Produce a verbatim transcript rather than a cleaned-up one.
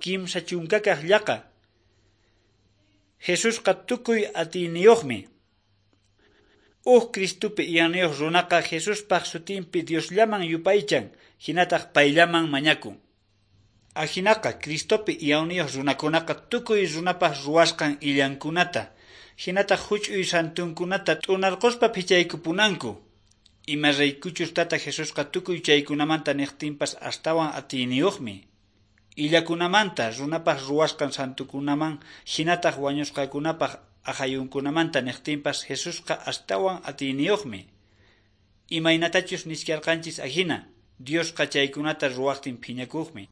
Kimsa chunkakaq llaqa. Jesusqa tukuy atiyniyuqmi. Uj Cristopi iyayniyuq runaqa Jesuspaq sutinpi Diosllaman yupaychan, hinataq payllaman mañakun. Ajinaqa Cristopi iyayniyuq runakunaqa tukuy runapaq ruwasqan illankunata, hinataq huch'uy santunkunata t'unarquspa phichaykupunanku. Imaraykuchus tata Jesusqa tukuy chaykunamanta niqtinpas astawan atiyniyuqmi. Illakunamanta runapaq ruwasqan santukunaman hinataq wañusqakunapaq aqhayunkunamanta niqtinpas Jesusqa astawan atiyniyuqmi. Imaynatachus nichkarqanchis ahina, Diosqa chaykunata ruwaqtin phiñakuqmi.